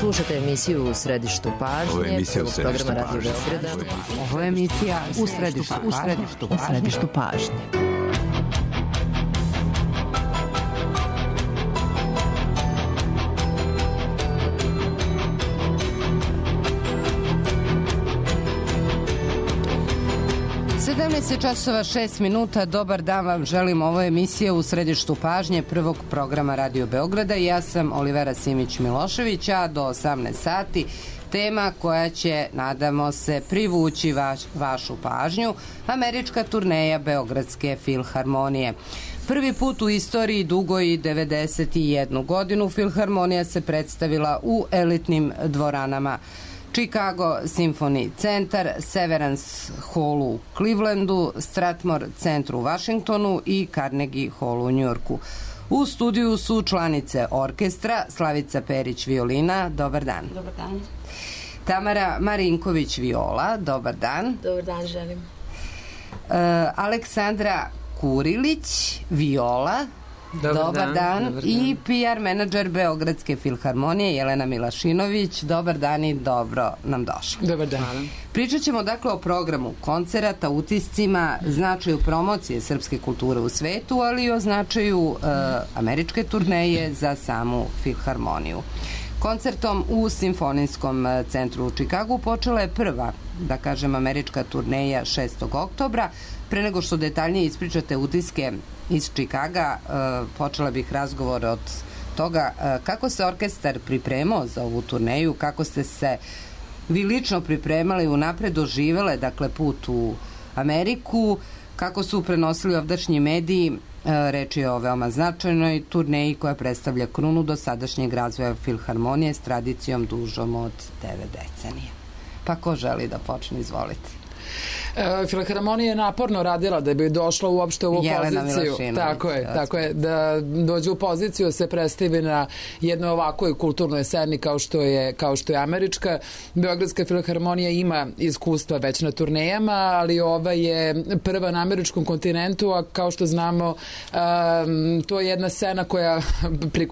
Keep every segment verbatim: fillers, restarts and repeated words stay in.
Slušate emisiju U središtu pažnje. Ovo je emisija U središtu pažnje. Ovo je emisija U središtu, u središtu, u središtu pažnje. sedamnaest časova šest minuta, dobar dan vam želim, ovo je emisija U središtu pažnje prvog programa Radio Beograda. Ja sam Olivera Simić-Milošević, a do osamnaest sati tema koja će, nadamo se, privući vaš, vašu pažnju, američka turneja Beogradske filharmonije. Prvi put u istoriji dugoj devedeset jednu godinu filharmonija se predstavila u elitnim dvoranama Chicago Symphony Centar, Severance Hall u Clevelandu, Strathmore centru u Washingtonu i Carnegie Hall u Njujorku. U studiju su članice orkestra Slavica Perić violina, dobar dan. Dobar dan. Tamara Marinković viola, dobar dan. Dobar dan, želim. Uh, Aleksandra Kurilić viola, dobar, dobar dan, dan. Dobar dan. I P R menadžer Beogradske filharmonije Jelena Milašinović, dobar dan i dobro nam došla. Dobar dan. Pričat ćemo dakle o programu koncerata, utiscima, značaju promocije srpske kulture u svetu, ali i o značaju uh, američke turneje za samu filharmoniju. Koncertom u Simfonijskom centru u Čikagu počela je prva, da kažem, američka turneja šestog oktobra. Pre nego što detaljnije ispričate utiske iz Čikaga, počela bih razgovor od toga kako se orkestar pripremao za ovu turneju, kako ste se vi lično pripremali, unapred doživele, dakle, put u Ameriku, kako su prenosili ovdašnji mediji. Reč je o veoma značajnoj turneji koja predstavlja krunu do sadašnjeg razvoja filharmonije s tradicijom dužom od devet decenija. Pa ko želi da počne, izvolite. E, Filharmonija je naporno radila da bi došla uopšte u ovu Jelena poziciju. Tako je, tako je, da dođe u poziciju, se predstavi na jednoj ovakvoj kulturnoj sceni kao što je, kao što je američka. Beogradska filharmonija ima iskustva već na turnejama, ali ova je prva na američkom kontinentu, a kao što znamo, um, to je jedna scena koja pri,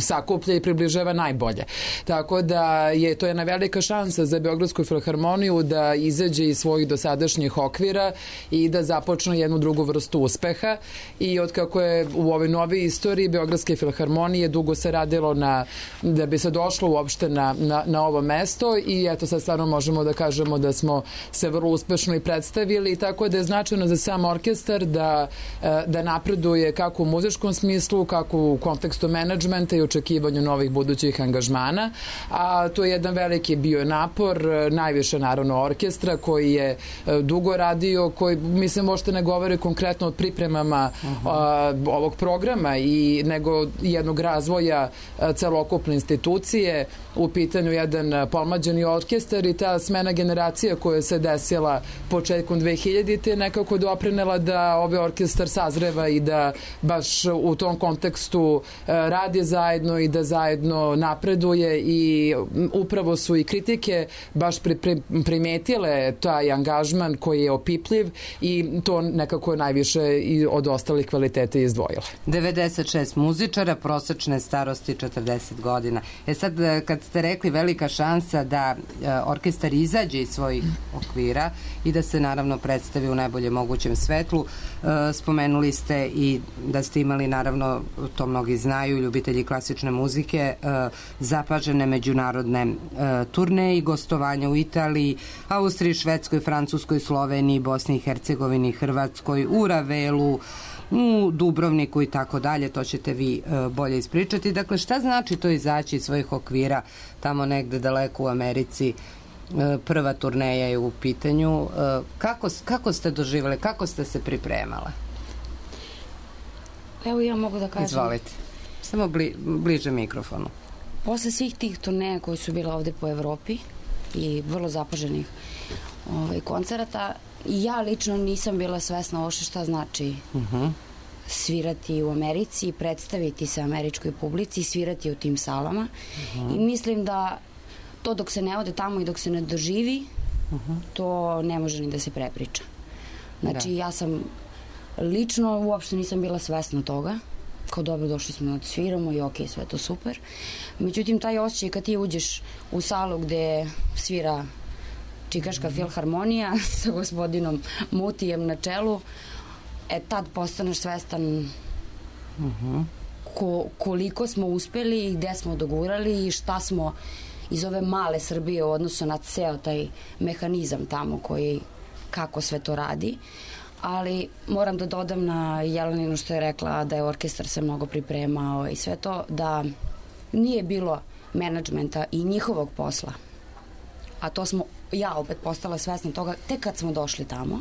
sakuplja i približava najbolje. Tako da je to jedna velika šansa za Beogradsku filharmoniju da izađe iz svojih dosadašnjih okvira i da započnu jednu drugu vrstu uspeha. I od kako je u ovoj novoj istoriji Beogradske filharmonije dugo se radilo na, da bi se došlo uopšte na, na, na ovo mesto i eto sad stvarno možemo da kažemo da smo se vrlo uspešno i predstavili, tako da je značajno za sam orkestar da, da napreduje kako u muzičkom smislu, kako u kontekstu menadžmenta i očekivanju novih budućih angažmana, a to je jedan veliki bio napor, najviše naravno orkestra koji je dugo radio, koji, mislim, možete ne govori konkretno o pripremama uh-huh. a, ovog programa i nego jednog razvoja a, celokupne institucije, u pitanju jedan pomlađeni orkestar i ta smena generacija koja se desila početkom dve hiljadite nekako doprinela da ovaj orkestar sazreva i da baš u tom kontekstu a, radi zajedno i da zajedno napreduje i upravo su i kritike baš pri, pri, primetile taj angažman koji je opipljiv i to nekako najviše i od ostalih kvaliteta izdvojile. devedeset šest muzičara, prosečne starosti četrdeset godina. E sad, kad ste rekli velika šansa da orkestar izađe iz svojih okvira i da se naravno predstavi u najboljem mogućem svetlu, spomenuli ste i da ste imali, naravno, to mnogi znaju, ljubitelji klasične muzike, zapažene međunarodne turneje i gostovanja u Italiji, Austriji, Švedskoj, Francuskoj, Sloveniji, Bosni i Hercegovini, Hrvatskoj, u Ravelu, u Dubrovniku i tako dalje, to ćete vi uh, bolje ispričati. Dakle, šta znači to izaći iz svojih okvira tamo negde daleko u Americi? Uh, prva turneja je u pitanju. Uh, kako, kako ste doživjeli, kako ste se pripremala? Evo ja mogu da kažem. Izvolite. Samo bli, bliže mikrofonu. Posle svih tih turneja koji su bile ovde po Evropi i vrlo zapaženih ovaj, koncerata, ja lično nisam bila svesna ovo šta znači uh-huh. svirati u Americi, predstaviti se američkoj publici, svirati u tim salama. Uh-huh. I mislim da to dok se ne ode tamo i dok se ne doživi, uh-huh. to ne može ni da se prepriča. Znači, da. Ja sam lično uopšte nisam bila svesna toga kao dobro, došli smo da sviramo i okej, sve to super. Međutim, taj osjećaj kad ti uđeš u salu gde svira Čikaška filharmonija sa gospodinom Mutijem na čelu, e tad postaneš svestan uh-huh. ko, koliko smo uspeli i gde smo dogurali i šta smo iz ove male Srbije u odnosu na ceo taj mehanizam tamo koji, kako sve to radi. Ali moram da dodam na Jeleninu što je rekla da je orkestar se mnogo pripremao i sve to, da nije bilo menadžmenta i njihovog posla. A to smo, ja opet postala svesna toga tek kad smo došli tamo.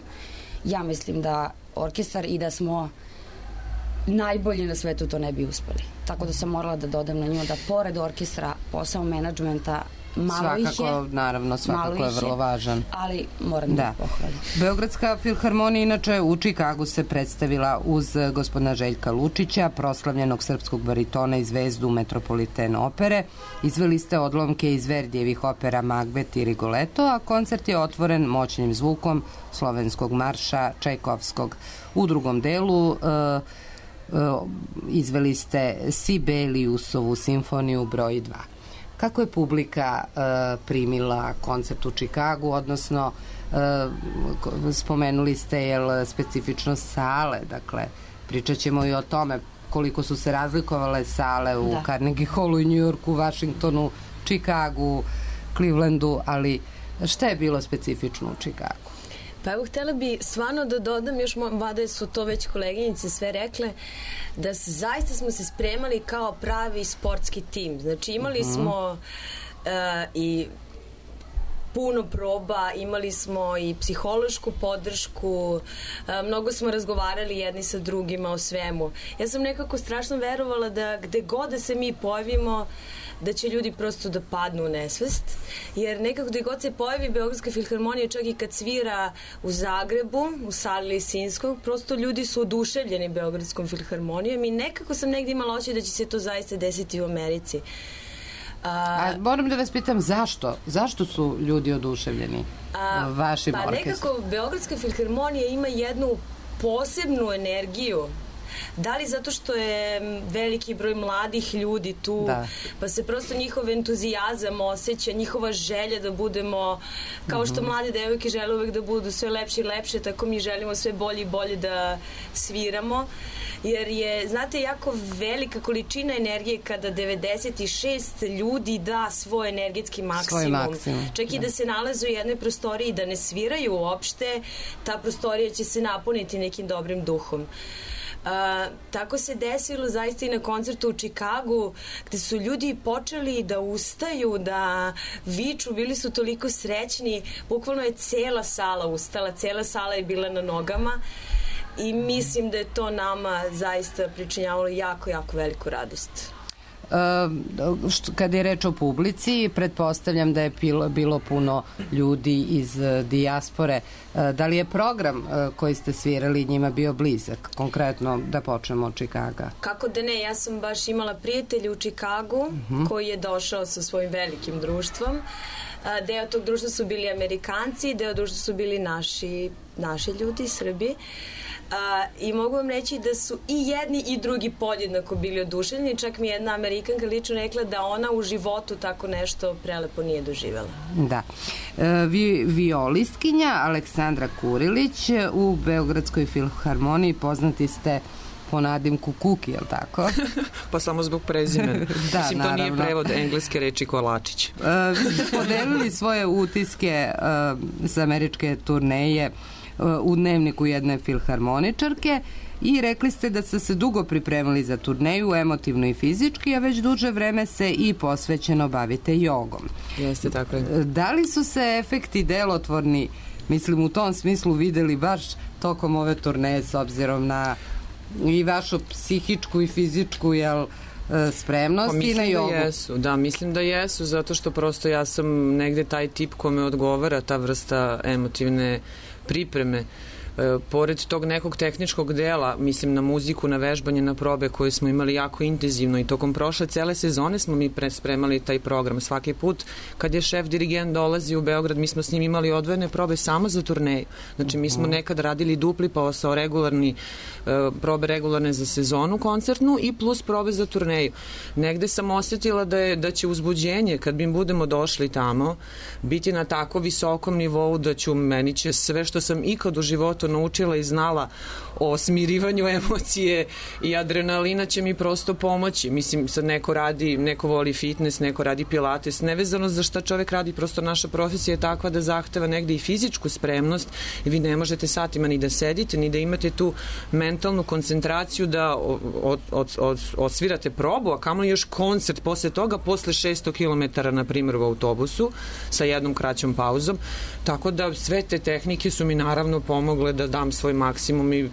Ja mislim da orkestar i da smo najbolji na svetu to ne bi uspeli. Tako da sam morala da dodam na nju da pored orkestra posao menadžmenta malo svakako, ih je. Naravno, svakako je vrlo važan. Ali moram da, da pohvalim. Beogradska filharmonija inače u Čikagu se predstavila uz gospodina Željka Lučića, proslavljenog srpskog baritona i zvezdu Metropoliten opere. Izveli ste odlomke iz Verdijevih opera Magbet i Rigoletto, a koncert je otvoren moćnim zvukom slovenskog marša Čajkovskog. U drugom delu uh, uh, izveli ste Sibeliusovu simfoniju broj dva. Kako je publika uh, primila koncert u Čikagu, odnosno uh, spomenuli ste jel, specifičnost sale, dakle pričat ćemo i o tome koliko su se razlikovale sale u da. Carnegie Hallu i New Yorku, Washingtonu, Čikagu, Clevelandu, ali šta je bilo specifično u Čikagu? Pa evo, htjela bi stvarno da dodam, još vada su to već koleginice sve rekle, da se, zaista smo se spremali kao pravi sportski tim. Znači imali uh-huh. smo uh, i puno proba, imali smo i psihološku podršku, mnogo smo razgovarali jedni sa drugima o svemu. Ja sam nekako strašno verovala da gde god da se mi pojavimo, da će ljudi prosto da padnu u nesvest, jer nekako gde god se pojavi Beogradska filharmonija, čak i kad svira u Zagrebu, u sali Lisinskog, prosto ljudi su oduševljeni Beogradskom filharmonijom i nekako sam negdje imala očaj da će se to zaista desiti u Americi. A, a moram da vas pitam zašto? Zašto su ljudi oduševljeni a, vašim pa orkestrom? Pa nekako Beogradska filharmonija ima jednu posebnu energiju. Da li zato što je veliki broj mladih ljudi tu, da. Pa se prosto njihov entuzijazam osjeća, njihova želja da budemo, kao što mm-hmm. mlade devojke žele uvek da budu sve lepše i lepše, tako mi želimo sve bolje i bolje da sviramo. Jer je, znate, jako velika količina energije kada devedeset šest ljudi da svoj energetski maksimum. Svoj maksimum. Čak i da. da se nalaze u jednoj prostoriji da ne sviraju uopšte, ta prostorija će se napuniti nekim dobrim duhom. Uh, tako se desilo zaista i na koncertu u Čikagu, gde su ljudi počeli da ustaju, da viču, bili su toliko srećni, bukvalno je cela sala ustala, cela sala je bila na nogama i mislim da je to nama zaista pričinjavalo jako, jako veliku radost. Uh, što, kada je reč o publici, pretpostavljam da je bilo, bilo puno ljudi iz uh, dijaspore. Uh, da li je program uh, koji ste svirali njima bio blizak? Konkretno, da počnemo od Čikaga. Kako da ne, ja sam baš imala prijatelja u Čikagu uh-huh. koji je došao sa svojim velikim društvom. Uh, deo tog društva su bili Amerikanci, deo društva su bili naši, naši ljudi, Srbi. Uh, i mogu vam reći da su i jedni i drugi podjednako bili oduševljeni, čak mi jedna Amerikanka lično rekla da ona u životu tako nešto prelepo nije doživjela. Da. E, vi, violistkinja Aleksandra Kurilić u Beogradskoj filharmoniji, poznati ste po nadimku Kuki, je li tako? Pa samo zbog prezimena. Da, mislim, to nije prevod engleske reči Kolačić. E, vi ste podelili svoje utiske e, sa američke turneje u dnevniku jedne filharmoničarke i rekli ste da ste se dugo pripremili za turneju, emotivno i fizički, a već duže vreme se i posvećeno bavite jogom. Jeste, tako je. Da li su se efekti delotvorni, mislim u tom smislu, videli baš tokom ove turneje s obzirom na i vašu psihičku i fizičku, jel, spremnost pa, i na jogu? Da, jesu, da, mislim da jesu, zato što prosto ja sam negde taj tip kome odgovara ta vrsta emotivne pripreme. E, pored tog nekog tehničkog dela, mislim na muziku, na vežbanje, na probe koje smo imali jako intenzivno i tokom prošle cele sezone smo mi spremali taj program. Svaki put kad je šef dirigent dolazi u Beograd, mi smo s njim imali odvojene probe samo za turneju. Znači mi smo nekad radili dupli posao, regularni, e, probe regularne za sezonu koncertnu i plus probe za turneju. Negde sam osetila da, je, da će uzbuđenje kad mi budemo došli tamo biti na tako visokom nivou da ću, meni će sve što sam ikad u životu naučila i znala o smirivanju emocije i adrenalina će mi prosto pomoći. Mislim, sad neko radi, neko voli fitness, neko radi pilates, nevezano za šta čovek radi, prosto naša profesija je takva da zahteva negde i fizičku spremnost i vi ne možete satima ni da sedite, ni da imate tu mentalnu koncentraciju da od, od, od, odsvirate probu, a kamoli još koncert posle toga, posle šesto kilometara, na primjer, u autobusu, sa jednom kraćom pauzom. Tako da sve te tehnike su mi naravno pomogle da dam svoj maksimum i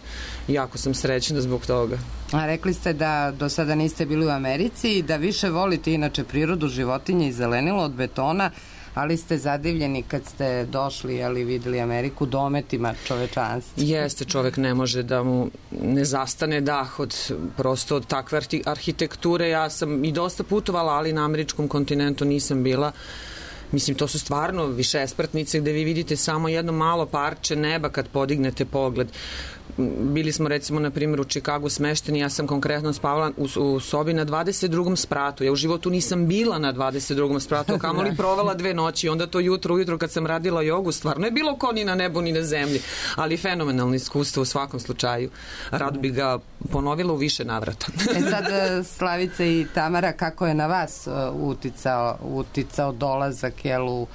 jako sam srećna zbog toga. A rekli ste da do sada niste bili u Americi i da više volite inače prirodu, životinje i zelenilo od betona, ali ste zadivljeni kad ste došli, ali videli Ameriku dometima čovečanstva. Jeste, čovek ne može da mu ne zastane dah od prosto od takve arhitekture. Ja sam i dosta putovala, ali na američkom kontinentu nisam bila. Mislim, to su stvarno višespratnice gde vi vidite samo jedno malo parče neba kad podignete pogled. Bili smo recimo na primjer u Čikagu smešteni, ja sam konkretno spavala u, u sobi na dvadeset drugom spratu. Ja u životu nisam bila na dvadeset drugom spratu, kamoli provela dve noći. Onda to jutro, ujutro kad sam radila jogu, stvarno je bilo ko ni na nebu ni na zemlji, ali fenomenalno iskustvo u svakom slučaju. Rado bi ga ponovila u više navrata. E sad, Slavica i Tamara, kako je na vas uticao, uticao dolazak, jel, u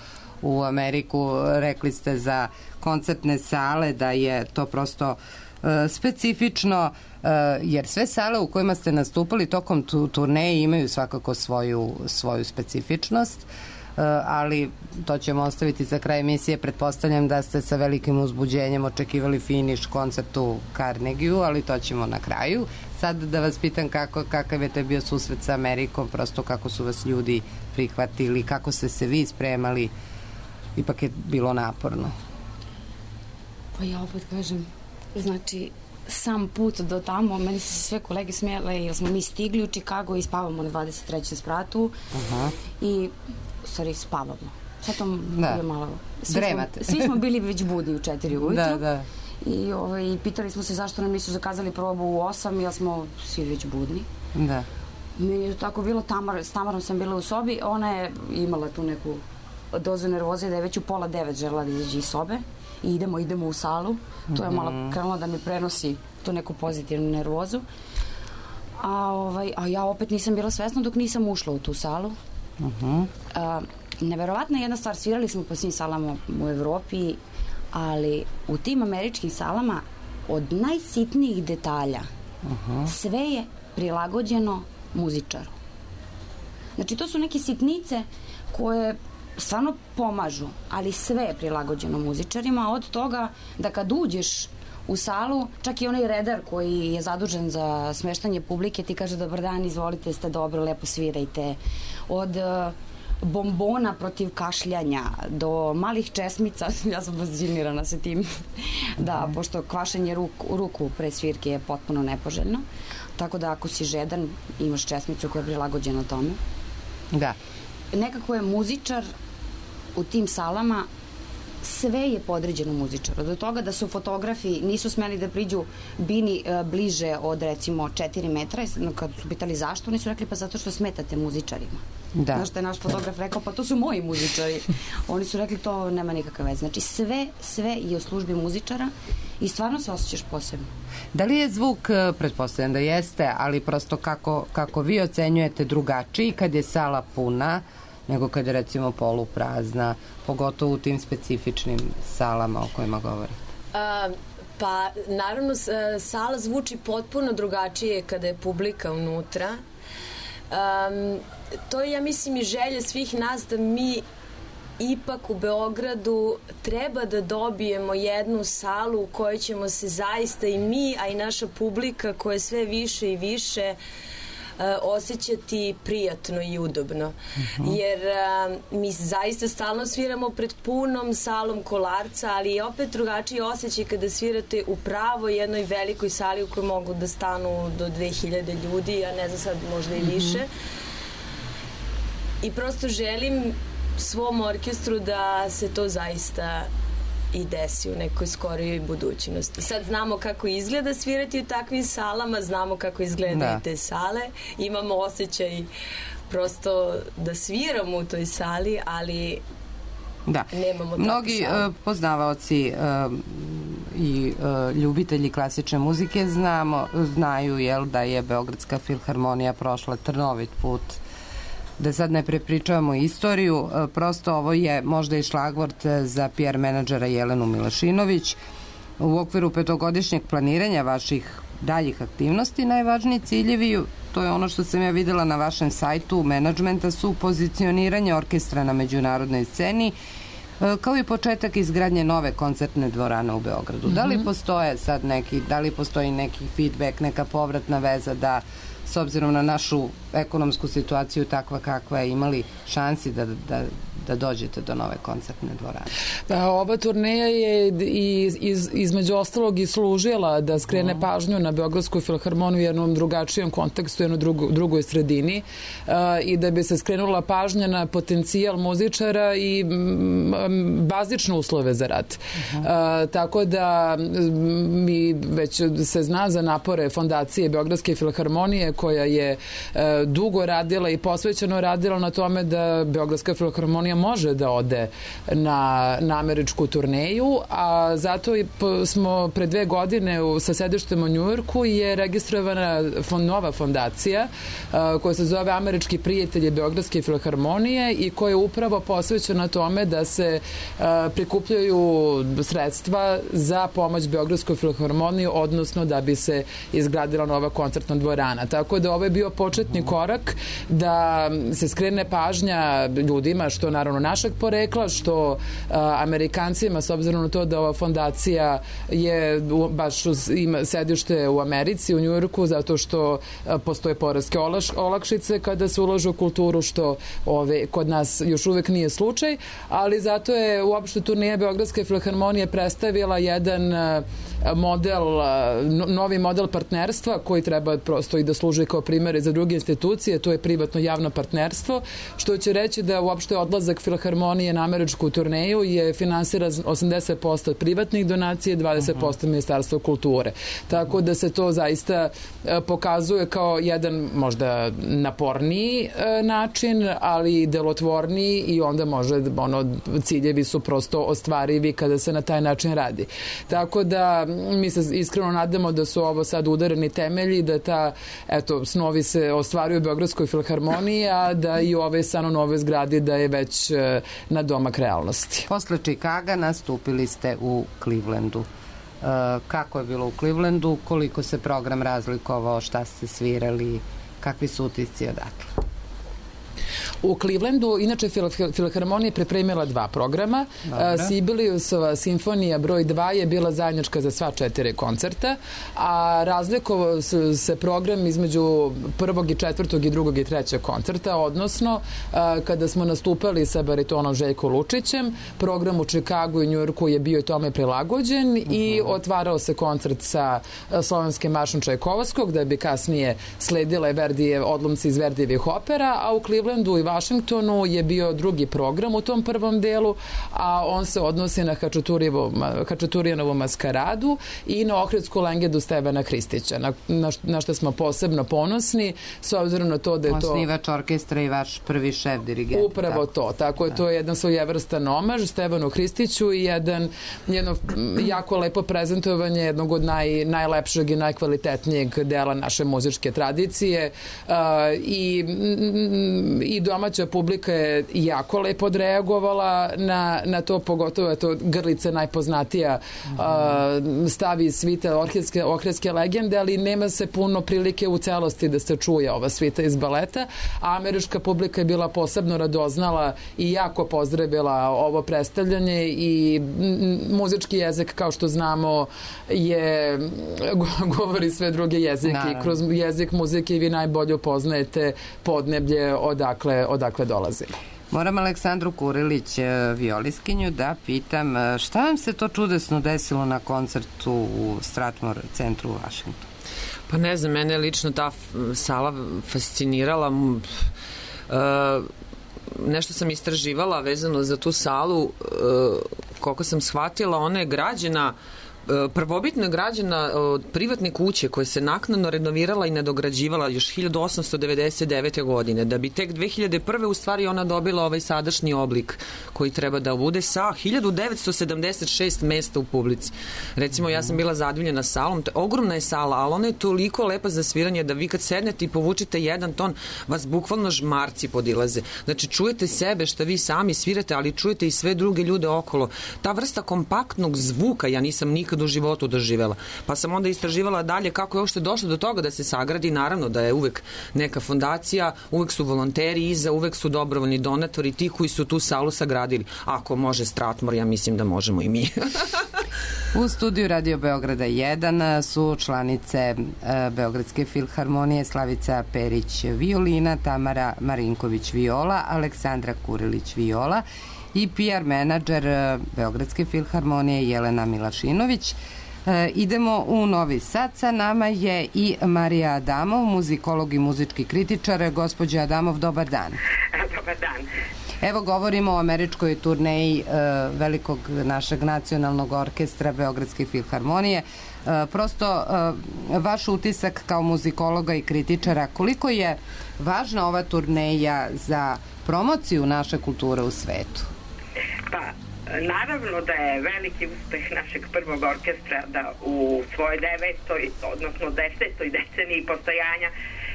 u Ameriku? Rekli ste za koncertne sale da je to prosto uh, specifično, uh, jer sve sale u kojima ste nastupali tokom tu, turneje imaju svakako svoju, svoju specifičnost, uh, ali to ćemo ostaviti za kraj emisije. Pretpostavljam da ste sa velikim uzbuđenjem očekivali finiš koncertu u Carnegieu, ali to ćemo na kraju. Sad da vas pitam kako, kakav je to bio susret sa Amerikom, prosto kako su vas ljudi prihvatili, kako ste se vi spremali. Ipak je bilo naporno. Pa ja opet kažem, znači, sam put do tamo, meni se sve kolege smijele, jer smo mi stigli u Čikago i spavamo na dvadeset trećem spratu. Aha. I, stvari, spavamo. Sad to da. je malo... Svi Dremate. Smo, svi smo bili već budni u četiri ujutru. Da, da. I ovaj, pitali smo se zašto nam nisu zakazali probu u osam, jer smo svi već budni. Da. Meni je tako bilo, Tamar, s Tamarom sam bila u sobi, ona je imala tu neku dozu nervoze da je već u pola devet želela da izađe iz sobe i idemo, idemo u salu. To je malo krenulo da mi prenosi tu neku pozitivnu nervozu. A, ovaj, a ja opet nisam bila svesna dok nisam ušla u tu salu. Uh-huh. A, neverovatna jedna stvar, svirali smo po svim salama u Evropi, ali u tim američkim salama od najsitnijih detalja uh-huh. sve je prilagođeno muzičaru. Znači, to su neke sitnice koje stvarno pomažu, ali sve je prilagođeno muzičarima, od toga da kad uđeš u salu, čak i onaj redar koji je zadužen za smeštanje publike ti kaže dobar dan, izvolite, ste dobro, lepo svirajte. Od uh, bombona protiv kašljanja do malih česmica, ja sam fascinirana sa tim, da, pošto kvašenje ruku, ruku pre svirke je potpuno nepoželjno, tako da ako si žedan, imaš česmicu koja je prilagođena tome. Da. Nekako je muzičar u tim salama, sve je podređeno muzičaru. Do toga da su fotografi nisu smeli da priđu bini e, bliže od recimo četiri metra. Kad su pitali zašto, oni su rekli pa zato što smetate muzičarima. Da. Znaš što je naš fotograf rekao, pa to su moji muzičari. Oni su rekli to nema nikakve veze. Znači sve, sve je u službi muzičara i stvarno se osjećaš posebno. Da li je zvuk, pretpostavljam da jeste, ali prosto kako, kako vi ocenjujete drugačiji kad je sala puna nego kad je recimo poluprazna, pogotovo u tim specifičnim salama o kojima govori? A, pa, naravno, sala zvuči potpuno drugačije kada je publika unutra. Um, to je, ja mislim, i želja svih nas da mi ipak u Beogradu treba da dobijemo jednu salu u kojoj ćemo se zaista i mi, a i naša publika koja je sve više i više osjećati prijatno i udobno. Uh-huh. Jer uh, mi zaista stalno sviramo pred punom salom Kolarca, ali je opet drugačiji osjećaj kada svirate u pravo jednoj velikoj sali u kojoj mogu da stanu do dve hiljade ljudi, a ne znam sad možda i više. I prosto želim svom orkestru da se to zaista i desi u nekoj skorijoj budućnosti. Sad znamo kako izgleda svirati u takvim salama, znamo kako izgledaju da. te sale, imamo osjećaj prosto da sviramo u toj sali, ali da. nemamo Mnogi uh, poznavaoci uh, i uh, ljubitelji klasične muzike znamo, znaju jel, da je Beogradska filharmonija prošla trnovit put. Da sad ne prepričavamo istoriju, prosto ovo je možda i šlagvort za P R menadžera Jelenu Milašinović. U okviru petogodišnjeg planiranja vaših daljih aktivnosti najvažniji ciljevi, to je ono što sam ja videla na vašem sajtu menadžmenta, su pozicioniranje orkestra na međunarodnoj sceni, kao i početak izgradnje nove koncertne dvorane u Beogradu. Mm-hmm. Da li postoje sad neki, da li postoji neki feedback, neka povratna veza da s obzirom na našu ekonomsku situaciju takva kakva je, imali šansi da, da, da dođete do nove koncertne dvorane? Da, ova turneja je iz, iz, između ostalog i služila da skrene mm. pažnju na Beogradsku filharmoniju u jednom drugačijem kontekstu, u jednoj drugo, drugoj sredini uh, i da bi se skrenula pažnja na potencijal muzičara i m, bazične uslove za rad. Mm. Uh, tako da mi već se zna za napore fondacije Beogradske filharmonije koja je uh, dugo radila i posvećeno radila na tome da Beogradska filharmonija može da ode na, na američku turneju, a zato i smo pre dve godine u, sa sedištem u Njujorku je registrovana fond, nova fondacija uh, koja se zove Američki prijatelji Beogradske filharmonije i koja je upravo posvećena tome da se uh, prikupljaju sredstva za pomoć Beogradskoj filharmoniji, odnosno da bi se izgradila nova koncertna dvorana. Tako da ovo je bio početni korak da se skrene pažnja ljudima, što naravno našeg porekla, što a, Amerikancima, s obzirom na to da ova fondacija je u, baš ima sedište u Americi, u Njujorku, zato što a, postoje poreske olaš, olakšice kada se ulaže u kulturu, što ove, kod nas još uvek nije slučaj, ali zato je uopšte turnija Beogradske filharmonije predstavila jedan a, model, a, novi model partnerstva koji treba prosto i da služi kao primjer za druge institucije, to je privatno javno partnerstvo, što će reći da uopšte odlazak filharmonije na američku turneju je finansira osamdeset posto od privatnih donacija i dvadeset posto uh-huh. Ministarstva kulture. Tako da se to zaista pokazuje kao jedan možda naporniji način, ali delotvorniji i onda može, ono, ciljevi su prosto ostvarivi kada se na taj način radi. Tako da mi se iskreno nadamo da su ovo sad udareni temelji, da ta, eto, snovi se ostvaruju u Beogradskoj filharmoniji, a da i ove san u novoj zgradi da je već na domak realnosti. Posle Čikaga nastupili ste u Clevelandu. E, kako je bilo u Clevelandu? Koliko se program razlikovao? Šta ste svirali? Kakvi su utisci odatle? U Clevelandu, inače, Filharmonija je pripremila dva programa. Sibeliusova simfonija broj dva je bila zajednička za sva četiri koncerta, a razlikovao se program između prvog i četvrtog i drugog i trećeg koncerta, odnosno kada smo nastupali sa baritonom Željko Lučićem, program u Čikagu i Njujorku je bio i tome prilagođen uh-huh. i otvarao se koncert sa slovenskim maršom Čajkovskog, da bi kasnije sledile Verdije, odlomci iz Verdijevih opera, a u Clevelandu i Vašingtonu je bio drugi program u tom prvom delu, a on se odnosi na Hačaturijanovu maskaradu i na Ohridsku lengendu Stevana Hristića, na, na, na što smo posebno ponosni, s obzirom na to da je to... Osnivač orkestra i vaš prvi šef dirigent. Upravo tako. to, tako je, to je jedan svojevrstan omaž Stevanu Hristiću i jedan, jedno jako lepo prezentovanje jednog od naj, najlepšeg i najkvalitetnijeg dela naše muzičke tradicije uh, i, i do domaća publika je jako lepo odreagovala na, na to, pogotovo je to Grlica najpoznatija uh, stavi svita orkeske, orkeske legende, ali nema se puno prilike u celosti da se čuje ova svita iz baleta, a američka publika je bila posebno radoznala i jako pozdravila ovo predstavljanje i muzički jezik, kao što znamo, je govori sve druge jezike. Naravno. Kroz jezik muzike vi najbolje upoznajete podneblje odakle, odakle dolazimo. Moram Aleksandru Kurilić, violiskinju, da pitam šta vam se to čudesno desilo na koncertu u Stratmore centru u Vašingtonu? Pa ne znam, mene lično ta sala fascinirala. Uh, nešto sam istraživala vezano za tu salu, uh, koliko sam shvatila, ona je građena prvobitno je građena od privatne kuće koja se naknadno renovirala i nadograđivala još hiljadu osamsto devedeset devete. godine, da bi tek dve hiljade prve. u stvari ona dobila ovaj sadašnji oblik koji treba da bude sa hiljadu devetsto sedamdeset šest mesta u publici. Recimo, ja sam bila zadivljena salom, ogromna je sala, ali ona je toliko lepa za sviranje da vi kad sednete i povučete jedan ton, vas bukvalno žmarci podilaze. Znači, čujete sebe šta vi sami svirate, ali čujete i sve druge ljude okolo. Ta vrsta kompaktnog zvuka ja nisam nikad u životu doživela. Pa sam onda istraživala dalje kako je uopšte došlo do toga da se sagradi. Naravno da je uvek neka fondacija, uvek su volonteri iza, uvek su dobrovoljni donatori, ti koji su tu salu sagradili. Ako može Stratmore, ja mislim da možemo i mi. U studiju Radio Beograda jedan su članice Beogradske filharmonije Slavica Perić violina, Tamara Marinković viola, Aleksandra Kurilić viola i P R menadžer Beogradske filharmonije Jelena Milašinović. E, idemo u Novi Sad. Sa nama je i Marija Adamov, muzikolog i muzički kritičar. Gospođa Adamov, dobar dan. Dobar dan. Evo, govorimo o američkoj turneji e, velikog našeg nacionalnog orkestra Beogradske filharmonije. E, prosto, e, vaš utisak kao muzikologa i kritičara, koliko je važna ova turneja za promociju naše kulture u svetu? Pa, naravno da je veliki uspeh našeg prvog orkestra da u svojoj devetoj, odnosno desetoj deceniji postojanja,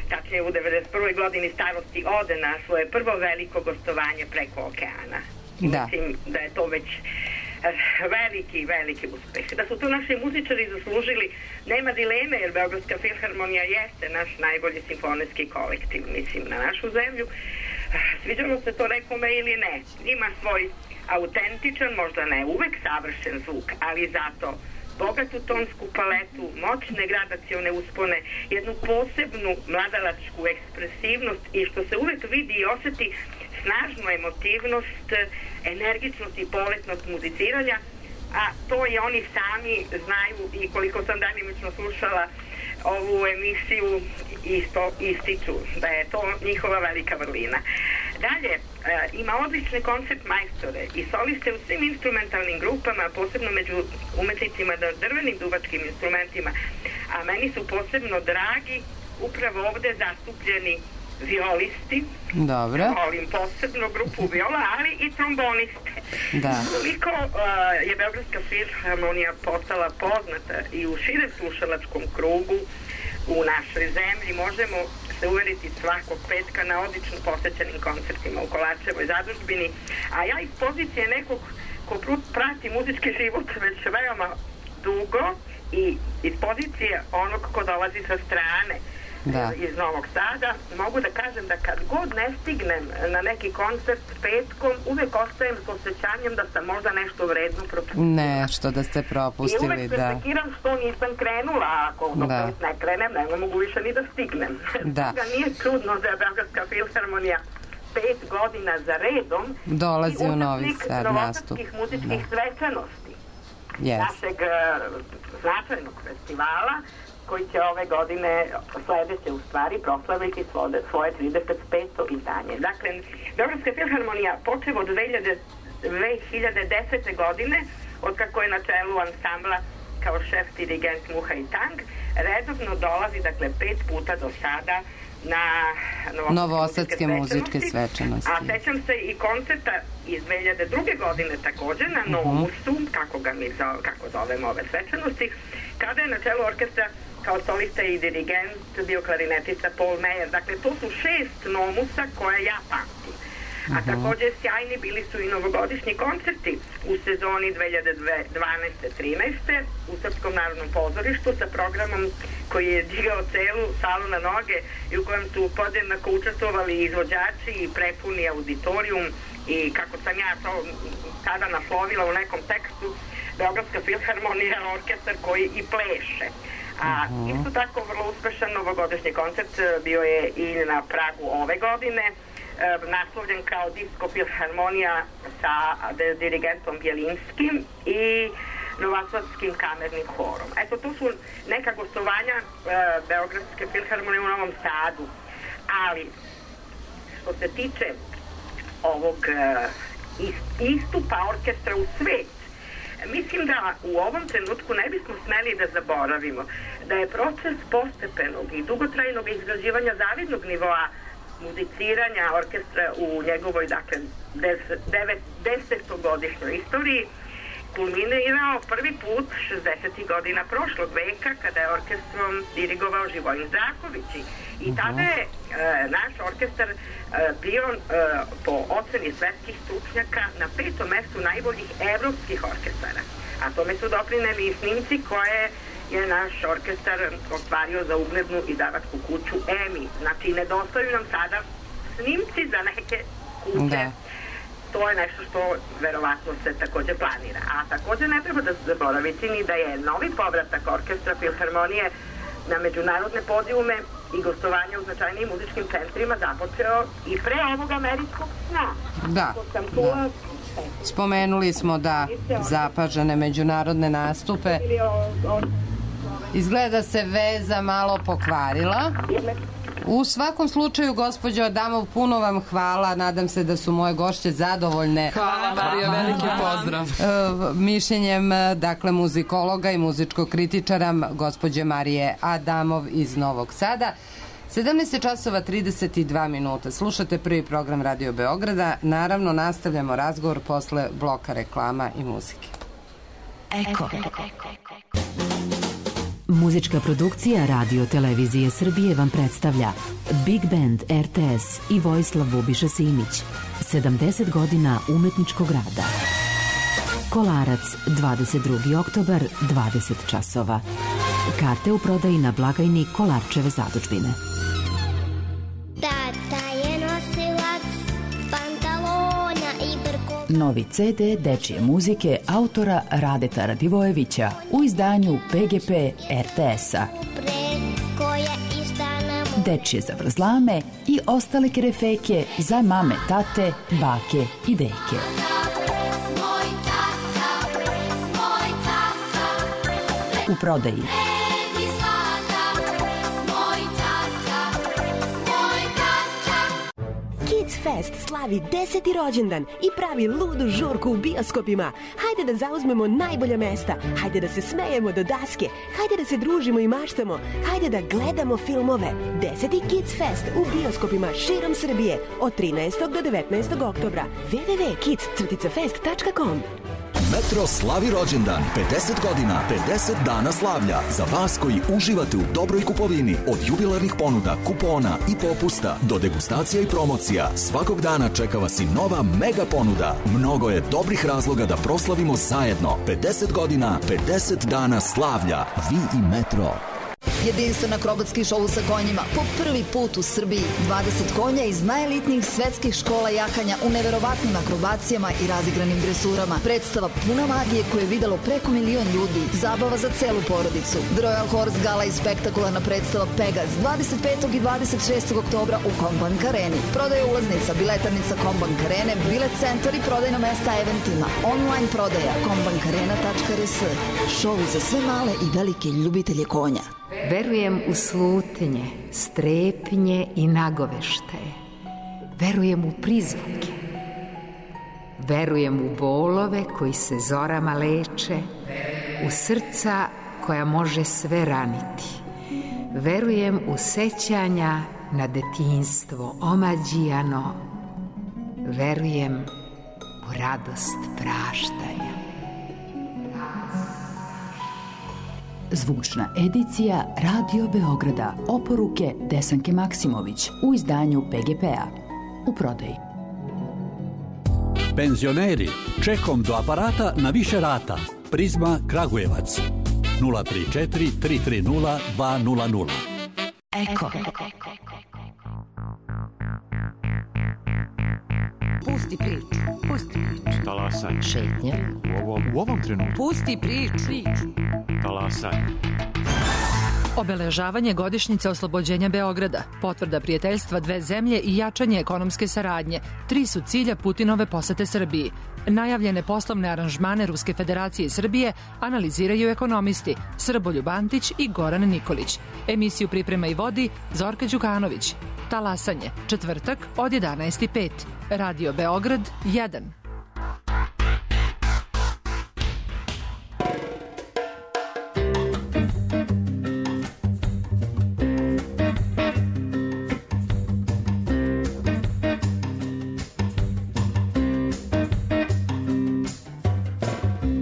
tačnije u devedeset prvoj godini starosti, ode na svoje prvo veliko gostovanje preko okeana. Da. Mislim da je to već veliki, veliki uspeh. Da su to naši muzičari zaslužili, nema dileme, jer Beogradska filharmonija jeste naš najbolji simfonijski kolektiv, mislim, na našu zemlju. Sviđalo se to nekome ili ne. Ima svoj autentičan, možda ne uvek savršen zvuk, ali zato bogatu tonsku paletu, moćne gradacione uspone, jednu posebnu mladalačku ekspresivnost i što se uvek vidi i oseti snažnu emotivnost, energičnost i poletnost muziciranja, a to i oni sami znaju i koliko sam danimično slušala ovu emisiju isto ističu da je to njihova velika vrlina. Dalje, e, ima odlične koncert majstore i soliste u svim instrumentalnim grupama, posebno među umetnicima drvenim duvačkim instrumentima, a meni su posebno dragi upravo ovde zastupljeni violisti. Dobro. Volim posebno grupu viola, ali i tromboniste. Da. Koliko uh, je Beogradska filharmonija postala poznata i u širem slušalačkom krugu u našoj zemlji, možemo se uveriti svakog petka na odlično posećenim koncertima u Kolarčevoj zadužbini, a ja iz pozicije nekog ko prati muzički život već veoma dugo i iz pozicije onog ko dolazi sa strane, da, iz Novog Sada, mogu da kažem da kad god ne stignem na neki koncert petkom, uvek ostajem s osjećanjem da sam možda nešto vredno propustila. Ne, što da ste propustili, da. I uvek se sekiram što nisam krenula, ako do da. pet ne krenem, ne mogu više ni da stignem. Da. Da nije čudno da je Beogradska filharmonija pet godina za redom dolazi u Novi Sad nastup. I muzičkih da. svečanosti yes. našeg uh, značajnog festivala, koji će ove godine, sledeće u stvari, proslaviti svoje, svoje trideset peto izdanje. Dakle, Beogradska filharmonija počev od dve hiljade desete. godine, od kako je na čelu ansambla kao šef dirigent Muha i Tang, redovno dolazi, dakle, pet puta do sada na Novosadske muzičke svečanosti. A sećam se i koncerta iz dve hiljade druge. godine također na Nomusu, uh-huh. kako ga mi zove, kako zovemo ove svečanosti, kada je na čelu orkestra kao solista i dirigent bio klarinetista Paul Meyer. Dakle, to su šest Nomusa koje ja pamtim. A takođe sjajni bili su i novogodišnji koncerti u sezoni dve hiljade dvanaeste trinaeste u Srpskom narodnom pozorištu sa programom koji je digao celu salu na noge i u kojem su podjednako učestvovali izvođači i prepuni auditorijum i kako sam ja to tada naslovila u nekom tekstu, Beogradska filharmonija, orkestar koji i pleše. A isto tako vrlo uspešan novogodišnji koncert bio je i na Pragu ove godine, naslovljen kao Disko filharmonija sa dirigentom Bjelinskim i Novosadskim kamernim horom. Eto, to su neka gostovanja Beogradske filharmonije u Novom Sadu. Ali, što se tiče ovog istupa orkestra u svet, mislim da u ovom trenutku ne bismo smeli da zaboravimo da je proces postepenog i dugotrajnog izgrađivanja zavidnog nivoa muziciranja orkestra u njegovoj, dakle, desetogodišnjoj istoriji kulminirao prvi put šezdesetih godina prošlog veka kada je orkestrom dirigovao Živojin Zdravković i tada je e, naš orkestar e, bio e, po oceni svetskih stručnjaka na petom mestu najboljih evropskih orkestara, a tome su doprineli i snimci koje je naš orkestar ostvario za uglednu izdavačku kuću EMI. Znači, nedostaju nam sada snimci za neke kuće. Da. To je nešto što verovatno se takođe planira. A takođe ne treba da zaboraviti ni da je novi povratak orkestra filharmonije na međunarodne podijume i gostovanje u značajnijim muzičkim centrima započeo i pre ovog američkog sna. Da, da. Spomenuli smo da zapažene međunarodne nastupe. Izgleda se veza malo pokvarila. U svakom slučaju, gospođo Adamov, puno vam hvala. Nadam se da su moje gošće zadovoljne. Hvala, Marija, veliki pozdrav. Mišljenjem, dakle, muzikologa i muzičkog kritičara, gospođe Marije Adamov iz Novog Sada. sedamnaest časova trideset dva minuta. Slušate prvi program Radio Beograda. Naravno, nastavljamo razgovor posle bloka reklama i muzike. Eko. Muzička produkcija Radio Televizije Srbije vam predstavlja Big Band R T S i Vojislav Bubiša Simić. sedamdeset godina umetničkog rada. Kolarac, dvadeset drugi oktobar, dvadeset časova. Karte u prodaji na blagajni Kolarčeve zadužbine. Tata je nosilac pantalona i brko. Novi C D dečije muzike autora Radeta Radivojevića u izdanju P G P R T S-a. Dečije zavrzlame i ostale kerefeke za mame, tate, bake i deke. U prodaji Kids Fest slavi deseti rođendan i pravi ludu žurku u bioskopima. Hajde da zauzmemo najbolja mesta, hajde da se smejemo do daske, hajde da se družimo i maštamo, hajde da gledamo filmove. Deseti Kids Fest u bioskopima širom Srbije od trinaestog do devetnaestog oktobra. w w w tačka kids fest tačka com. Metro slavi rođendan, pedeset godina, pedeset dana slavlja. Za vas koji uživate u dobroj kupovini, od jubilarnih ponuda, kupona i popusta do degustacija i promocija, svakog dana čeka vas i nova mega ponuda. Mnogo je dobrih razloga da proslavimo zajedno. pedeset godina, pedeset dana slavlja. Vi i Metro. Jedinstven akrobatski šou sa konjima po prvi put u Srbiji. dvadeset konja iz najelitnijih svetskih škola jahanja u neverovatnim akrobacijama i razigranim dresurama. Predstava puna magije koju je videlo preko milion ljudi. Zabava za celu porodicu. The Royal Horse Gala i spektakularna predstava Pegas dvadeset petog i dvadeset šestog oktobra u Kombank Areni. Prodaja ulaznica, biletarnica Kombank Arene, bilet centar i prodajna mesta eventima. Online prodaja kombankarena tačka r s. Šou za sve male i velike ljubitelje konja. Verujem u slutnje, strepnje i nagoveštaje. Verujem u prizvuke. Verujem u bolove koji se zorama leče, u srca koja može sve raniti. Verujem u sećanja na detinjstvo omađijano. Verujem u radost praštaja. Zvučna edicija Radio Beograda. Oporuke Desanke Maksimović u izdanju P G P-a. U prodaji. Penzioneri, čekom do aparata na više rata. Prizma Kragujevac. nula tri četiri tri tri nula dva nula nula. Eko. Pusti priču. Pusti priču. Talasaj. Šetnja. U ovom, u ovom trenutku. Pusti priču. Talasaj. Obeležavanje godišnjice oslobođenja Beograda, potvrda prijateljstva dve zemlje i jačanje ekonomske saradnje, tri su cilja Putinove posete Srbiji. Najavljene poslovne aranžmane Ruske federacije i Srbije analiziraju ekonomisti Srboljub Antić i Goran Nikolić. Emisiju priprema i vodi Zorka Đukanović. Talasanje, četvrtak od jedanaest i pet. Radio Beograd jedan.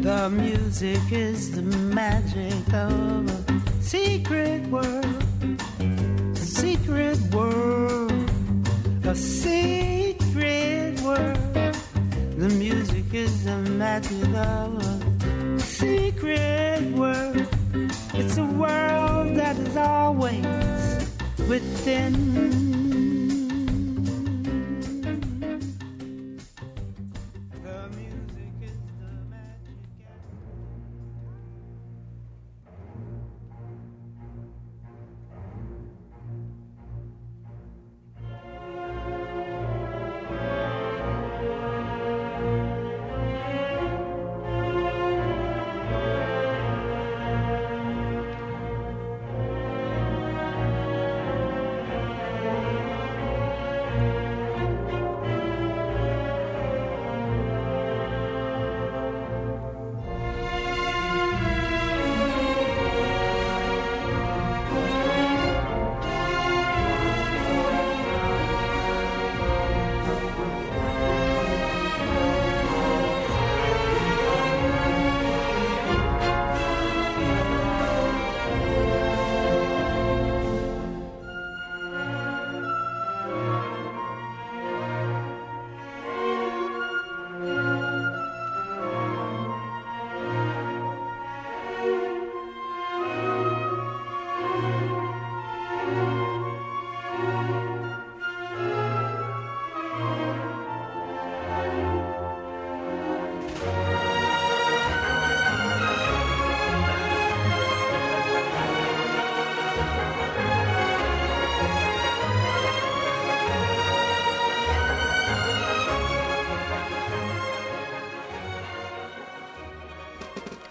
The music is the magic of a secret world, a secret world, a secret world. The music is the magic of a secret world. It's a world that is always within.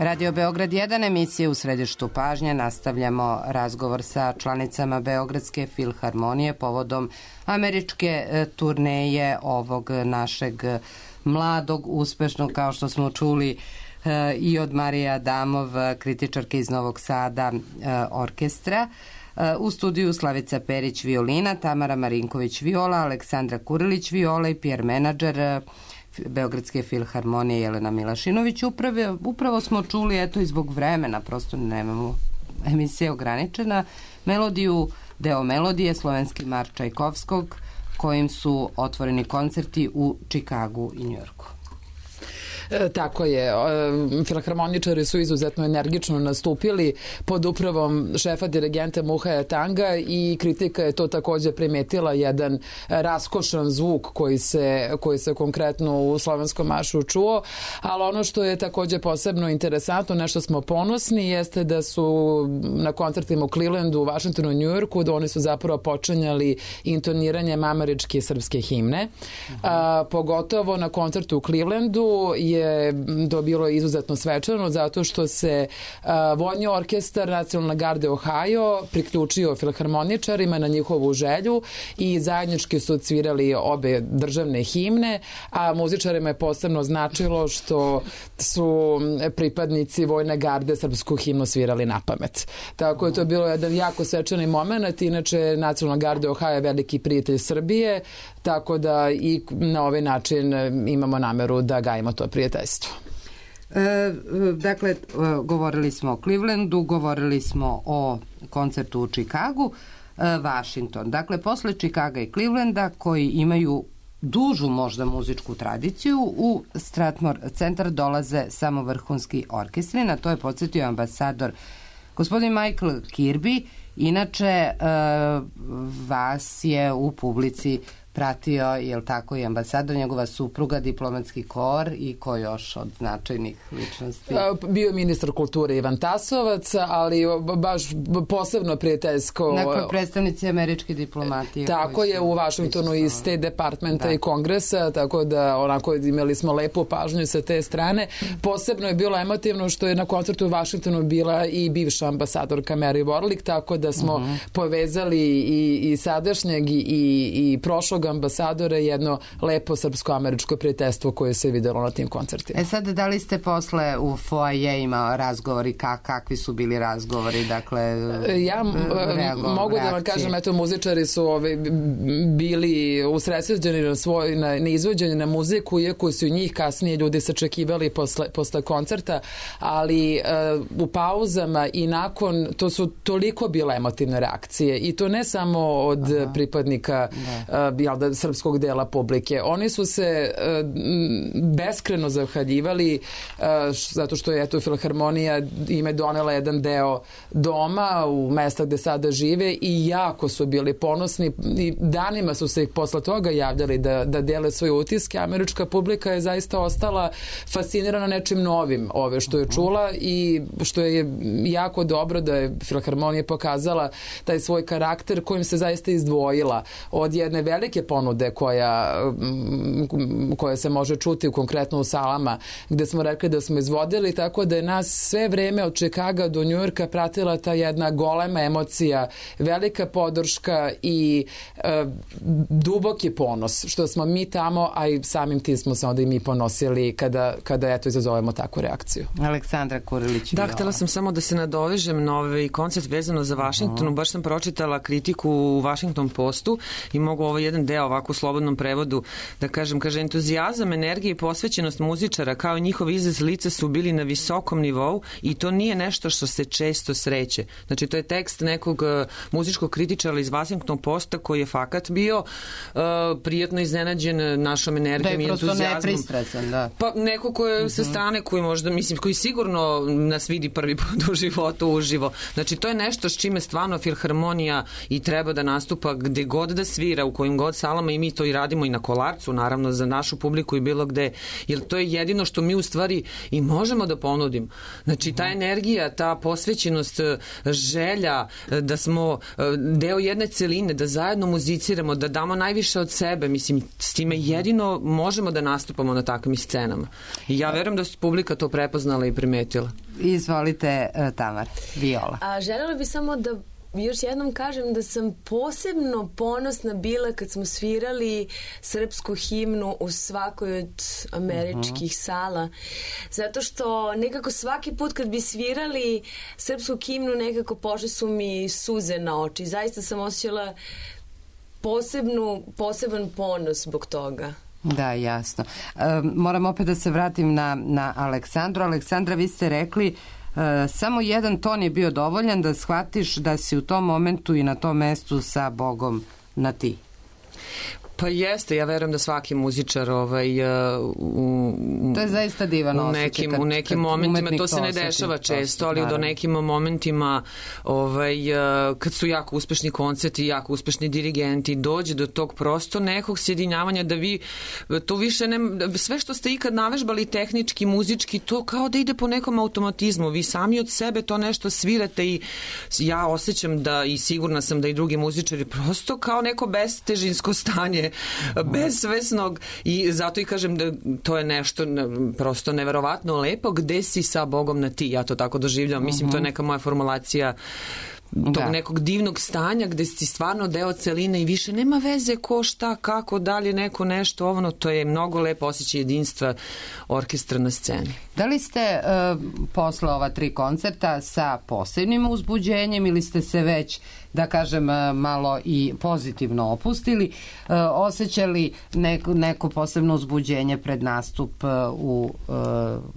Radio Beograd jedan, emisije u središtu pažnje. Nastavljamo razgovor sa članicama Beogradske filharmonije povodom američke turneje ovog našeg mladog, uspešnog, kao što smo čuli i od Marije Adamov, kritičarke iz Novog Sada, orkestra. U studiju Slavica Perić violina, Tamara Marinković viola, Aleksandra Kurilić viola i Pierre menadžer Beogradske filharmonije Jelena Milašinović. Upravo, upravo smo čuli, eto i zbog vremena, prosto nemamo, emisija ograničena, melodiju, deo melodije, slovenski marš Čajkovskog, kojim su otvoreni koncerti u Čikagu i Njujorku. E, tako je. E, filharmoničari su izuzetno energično nastupili pod upravom šefa dirigenta Muhaja Tanga i kritika je to takođe primetila, jedan raskošan zvuk koji se, koji se konkretno u slovenskom maršu čuo, ali ono što je takođe posebno interesantno, nešto smo ponosni, jeste da su na koncertima u Clevelandu, u Washingtonu, Njujorku, da oni su zapravo počinjali intoniranjem američke i srpske himne. A, pogotovo na koncertu u Clevelandu je to bilo izuzetno svečano zato što se a, vojni orkestar Nacionalne garde Ohio priključio filharmoničarima na njihovu želju i zajednički su odsvirali obe državne himne, a muzičarima je posebno značilo što su pripadnici vojne garde srpsku himnu svirali na pamet. Tako je to bilo jedan jako svečani moment. Inače, Nacionalna garda Ohio je veliki prijatelj Srbije, tako da i na ovaj način imamo nameru da gajimo to prijateljstvo. E, dakle, govorili smo o Clevelandu, govorili smo o koncertu u Čikagu, e, Washington. Dakle, posle Čikaga i Clevelanda, koji imaju dužu možda muzičku tradiciju, u Strathmore centar dolaze samo vrhunski orkestri. Na to je podsjetio ambasador gospodin Michael Kirby. Inače, vas je u publici pratio, je tako, i ambasador, njegova supruga, diplomatski kor i ko još od značajnih ličnosti? Bio ministar kulture Ivan Tasovac, ali baš posebno prijateljsko. Neko predstavnici američke diplomatije. Tako je, u Vašingtonu i State Departmenta da. I Kongresa, tako da onako imali smo lepu pažnju sa te strane. Posebno je bilo emotivno što je na koncertu u Vašingtonu bila i bivša ambasadorka Mary Warlick, tako da smo uh-huh. povezali i, i sadašnjeg i, i prošlog ambasadora, jedno lepo srpsko-američko prijateljstvo koje se videlo na tim koncertima. E sad, da li ste posle u foajeima razgovori, kak, kakvi su bili razgovori, dakle, ja reago, mogu reakcije. Da vam kažem, eto, muzičari su ovi, bili usredsređeni na svoj, na, na izvođenje na muziku, iako su njih kasnije ljudi sačekivali posle, posle koncerta, ali uh, u pauzama i nakon, to su toliko bile emotivne reakcije i to ne samo od Aha. pripadnika uh, da, srpskog dela publike. Oni su se uh, beskreno zahvaljivali uh, zato što je eto Filharmonija ime donela jedan deo doma u mesta gde sada žive i jako su bili ponosni i danima su se ih posle toga javljali da, da dele svoje utiske. Američka publika je zaista ostala fascinirana nečim novim ove što je čula i što je jako dobro da je Filharmonija pokazala taj svoj karakter kojim se zaista izdvojila od jedne velike ponude koja, koja se može čuti konkretno u salama gde smo rekli da smo izvodili, tako da je nas sve vreme od Čikaga do Njujorka pratila ta jedna golema emocija, velika podrška i e, duboki ponos što smo mi tamo, a i samim tim smo se onda i mi ponosili kada, kada eto izazovemo takvu reakciju. Aleksandra Kurilić. Da, htela sam samo da se nadovežem na ovaj koncert vezano za Vašingtonu. Baš sam pročitala kritiku u Washington Postu i mogu ovo jedan deo ovako u slobodnom prevodu da kažem. Kaže, entuzijazam, energija i posvećenost muzičara kao i njihov izraz lica su bili na visokom nivou i to nije nešto što se često sreće. Znači, to je tekst nekog uh, muzičkog kritičara iz Washington Posta koji je fakat bio uh, prijatno iznenađen našom energijom i entuzijazmom. Da je prosto nepristrasan, da. Pa neko ko je uh-huh. sa strane koji možda, mislim, koji sigurno nas vidi prvi put u životu uživo. Znači, to je nešto s čime stvarno Filharmonija i treba da nastupa gde god da svira, u kojim god salama i mi to i radimo i na Kolarcu, naravno, za našu publiku i bilo gde, jer to je jedino što mi u stvari i možemo da ponudimo. Znači, ta energija, ta posvećenost, želja da smo deo jedne celine, da zajedno muziciramo, da damo najviše od sebe, mislim, s time jedino možemo da nastupamo na takvim scenama. I ja verujem da su publika to prepoznala i primetila. Izvolite, Tamar, Viola. A želela bi samo da još jednom kažem da sam posebno ponosna bila kad smo svirali srpsku himnu u svakoj od američkih uh-huh. sala. Zato što nekako svaki put kad bi svirali srpsku himnu nekako pošle su mi suze na oči. Zaista sam osjećala posebnu, poseban ponos zbog toga. Da, jasno. E, moram opet da se vratim na, na Aleksandru. Aleksandra, vi ste rekli E, samo jedan ton je bio dovoljan da shvatiš da si u tom momentu i na tom mestu sa Bogom na ti. Pa jeste, ja verujem da svaki muzičar ovaj, u, to je zaista divan u nekim, kad, u nekim momentima, to se ne dešava često, ali naravno. Do nekim momentima ovaj, kad su jako uspešni koncerti, jako uspešni dirigenti, dođe do tog prosto nekog sjedinjavanja da vi to više ne, sve što ste ikad navežbali tehnički, muzički, to kao da ide po nekom automatizmu, vi sami od sebe to nešto svirate i ja osjećam da i sigurna sam da i drugi muzičari prosto kao neko bestežinsko stanje bezsvesnog i zato i kažem da to je nešto prosto neverovatno lepo gde si sa Bogom na ti, ja to tako doživljam, mislim to je neka moja formulacija tog da. Nekog divnog stanja gde si stvarno deo celine i više nema veze ko šta, kako, da li neko nešto ovno, to je mnogo lepo osjećaj jedinstva orkestra na sceni. Da li ste uh, posle ova tri koncerta sa posebnim uzbuđenjem ili ste se već, da kažem, malo i pozitivno opustili, uh, osjećali neko, neko posebno uzbuđenje pred nastup uh, u, uh,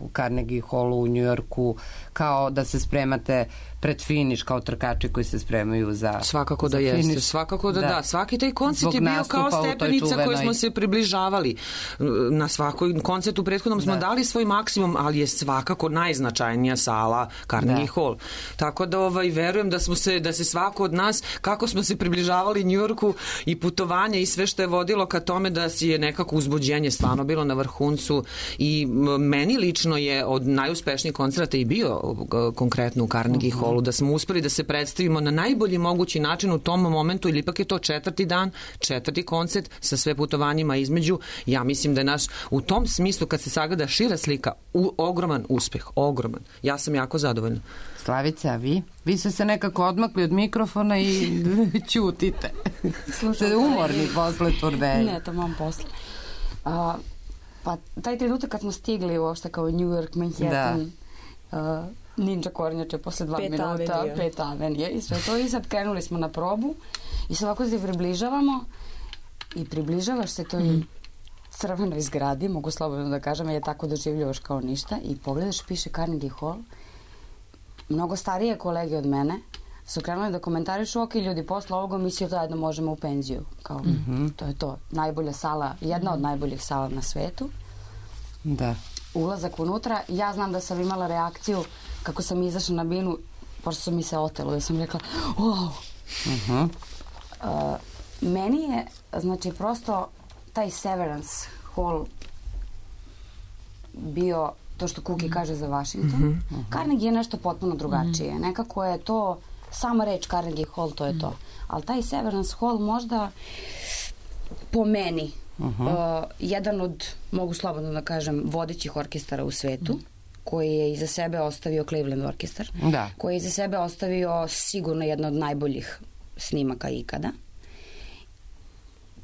u Carnegie Hallu u Njujorku, kao da se spremate pred finiš kao trkači koji se spremaju za svakako za da finiš. jeste, svakako da da, da. Svaki taj koncert Zbog je bio kao stepenica čuvenoj... koju smo se približavali. Na svakoj koncertu prethodnom smo da. dali svoj maksimum, ali je svakako najznačajnija sala Carnegie da. Hall. Tako da ovaj, verujem da smo se, da se svako od nas, kako smo se približavali Njujorku i putovanje i sve što je vodilo ka tome da si je nekako uzbuđenje stvarno bilo na vrhuncu i meni lično je od najuspešnijih koncerta i bio konkretno u Carnegie uh-huh. Hallu, da smo uspeli da se predstavimo na najbolji mogući način u tom momentu, ili ipak je to četvrti dan, četvrti koncert sa sve putovanjima između. Ja mislim da je naš u tom smislu, kad se sagleda šira slika, u, ogroman uspeh, ogroman. Ja sam jako zadovoljna. Slavica, a vi? Vi ste se nekako odmakli od mikrofona i ćutite. Ste umorni posle turneje. Ne, to mam posle. A, pa taj trenutak kad smo stigli uopšte kao New York, Manhattan, da. Uh, Ninja kornjače posle dva pet minuta, avenija. pet avenije i sve to. I sad krenuli smo na probu i sad ovako se približavamo i približavaš se toj mm. crvenoj zgradi, mogu slobodno da kažem, je tako doživljavaš kao ništa i pogledaš, piše Carnegie Hall. Mnogo starije kolege od mene su krenuli da komentarišu, ok, ljudi, posle ovoga mi svi zajedno možemo u penziju. Kao, mm-hmm. to je to. Najbolja sala, jedna od najboljih sala na svetu. Da. Ulazak unutra. Ja znam da sam imala reakciju kako sam izašla na binu, pošto su mi se otelo, da sam rekla, wow. Uh-huh. Uh, meni je, znači, prosto taj Severance Hall bio to što Kuki kaže za Washington. Uh-huh. Carnegie je nešto potpuno drugačije. Uh-huh. Nekako je to, sama reč Carnegie Hall, to je to. Uh-huh. Ali taj Severance Hall možda po meni uh-huh. uh, jedan od, mogu slobodno da kažem, vodećih orkestara u svetu, uh-huh. koji je iza sebe ostavio Cleveland orkestar, da. Koji je iza sebe ostavio sigurno jedna od najboljih snimaka ikada.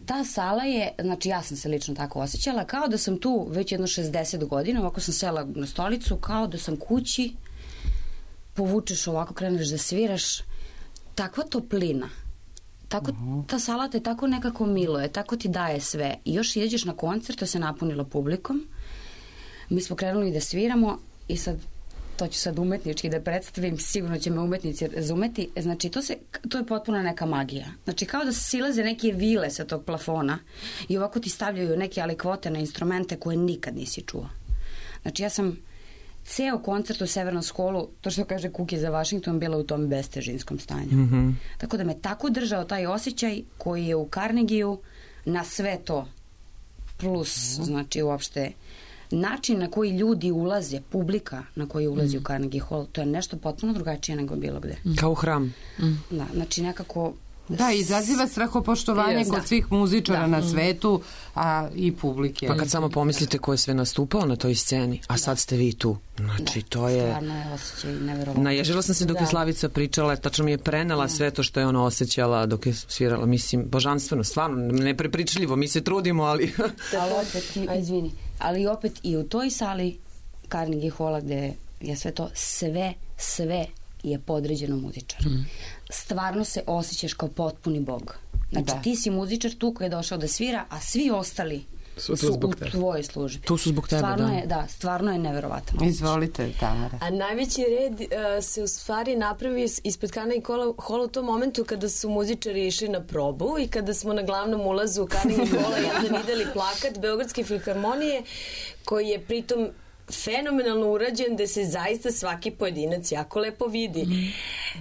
Ta sala je, znači ja sam se lično tako osjećala, kao da sam tu već jedno šezdeset godina, ovako sam sela na stolicu, kao da sam kući, povučeš ovako, kreneš da sviraš, takva toplina, tako, uh-huh. ta sala te tako nekako miluje, tako ti daje sve. I još ideš na koncert, to se napunilo publikom, mi smo krenuli da sviramo i sad, to ću sad umetnički da predstavim, sigurno će me umetnici razumeti, znači to, se, to je potpuno neka magija. Znači kao da se silaze neke vile sa tog plafona i ovako ti stavljaju neke alikvote na instrumente koje nikad nisi čuo. Znači ja sam ceo koncert u Severance Hallu, to što kaže Kuki za Washington, bila u tom bestežinskom stanju. Mm-hmm. Tako da me tako držao taj osjećaj koji je u Carnegieu na sve to plus, mm-hmm. znači uopšte način na koji ljudi ulaze, publika na koji ulazi mm. u Carnegie Hall, to je nešto potpuno drugačije nego bilo gde. Mm. Kao hram. Mm. Da, znači nekako... Da, izaziva strahopoštovanje kod da. svih muzičara da. na svetu, a i publike. Pa kad samo pomislite ko je sve nastupao na toj sceni, a sad ste vi tu. Znači, da. to je... Stvarno je osjećaj neverovatno. Naježila sam se dok je Slavica pričala, tačno mi je prenela da. sve to što je ona osjećala dok je svirala. Mislim, božanstveno, stvarno, neprepričljivo, mi se trudimo, ali... ali opet, izvini, ali opet i u toj sali Carnegie Halla gde je sve to, sve, sve je podređeno muzičaru. Mm. Stvarno se osjećaš kao potpuni bog. Znači da. ti si muzičar tu koji je došao da svira, a svi ostali su, su u tebe. tvojoj službi. Tu su zbog tebe, stvarno da. Je, da, stvarno je neverovatno. Izvolite, Tamara. A najveći red uh, se u stvari napravi ispred Carnegie Halla u tom momentu kada su muzičari išli na probu i kada smo na glavnom ulazu u Carnegie Halla jedan videli plakat Beogradske filharmonije koji je pritom fenomenalno urađen, da se zaista svaki pojedinac jako lepo vidi. Uh,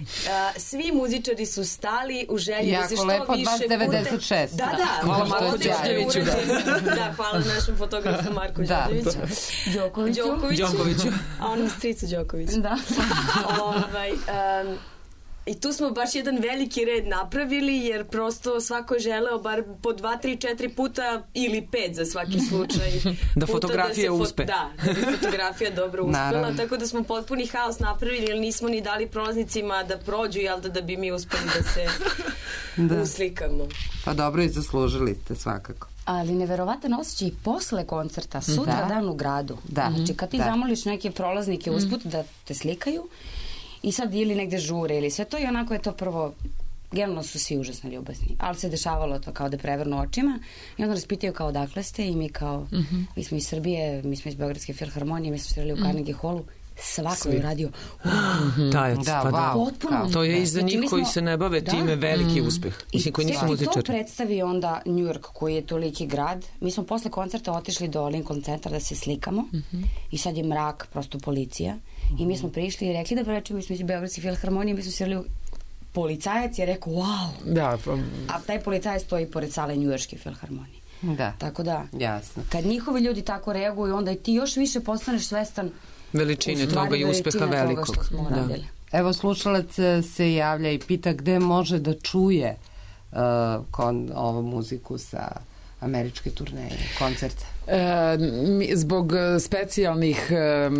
svi muzičari su stali u želji jako da se što lepo, više puta... devedeset šest. Da, da. Hvala Marku Đorđeviću. Da. da, hvala našem fotografu Marku da, Đorđeviću. Đokoviću. Đokoviću. Đokoviću. A onom stricu Đokoviću. Da. ovaj, um, I tu smo baš jedan veliki red napravili, jer prosto svako je želeo bar po dva, tri, četiri puta ili pet za svaki slučaj. da fotografija da fo- uspe. Da, da bi fotografija dobro uspela, Naravno. tako da smo potpuni haos napravili, jer nismo ni dali prolaznicima da prođu, jel da, da bi mi uspeli da se da. uslikamo. Pa dobro i zaslužili ste svakako. Ali neverovatan osjećaj i posle koncerta, sutra da. dan u gradu. Da. Znači kad ti da. zamoliš neke prolaznike usput da te slikaju, i sad ili negde žure ili sve to i onako je to prvo, generalno su svi užasno ljubazni, ali se dešavalo to kao da prevrnu očima i onda nas pitaju kao odakle ste i mi kao, mm-hmm. mi smo iz Srbije, mi smo iz Beogradske filharmonije, mi smo svirali u mm. Carnegie Hallu, svako je radio. Tajac, Da, pa da. wow. Potpuno. To je i za Znači, njih mi koji smo- se ne bave Da. time veliki Mm. uspeh. I Mislim, koji nisu tek ti to muzičari. predstavi onda New York, koji je toliki grad. Mi smo posle koncerta otišli do Lincoln centra da se slikamo i sad je mrak, prosto policija. I mi smo prišli i rekli da prečemo, mi smo iz Beogradske filharmonije, mi smo svirali, policajac je rekao wow. Da, pa... A taj policajac stoji pored sale Njujorške filharmonije. Da. Tako da, jasno. Kad njihovi ljudi tako reaguju, onda i ti još više postaneš svestan Veličine u stvari toga i uspeha veličine toga velikog. što smo Da. uradili. Evo, slušalac e, se javlja i pita gde može da čuje uh, kon, ovu muziku sa američke turneje, koncerte. E, mi, zbog specijalnih e,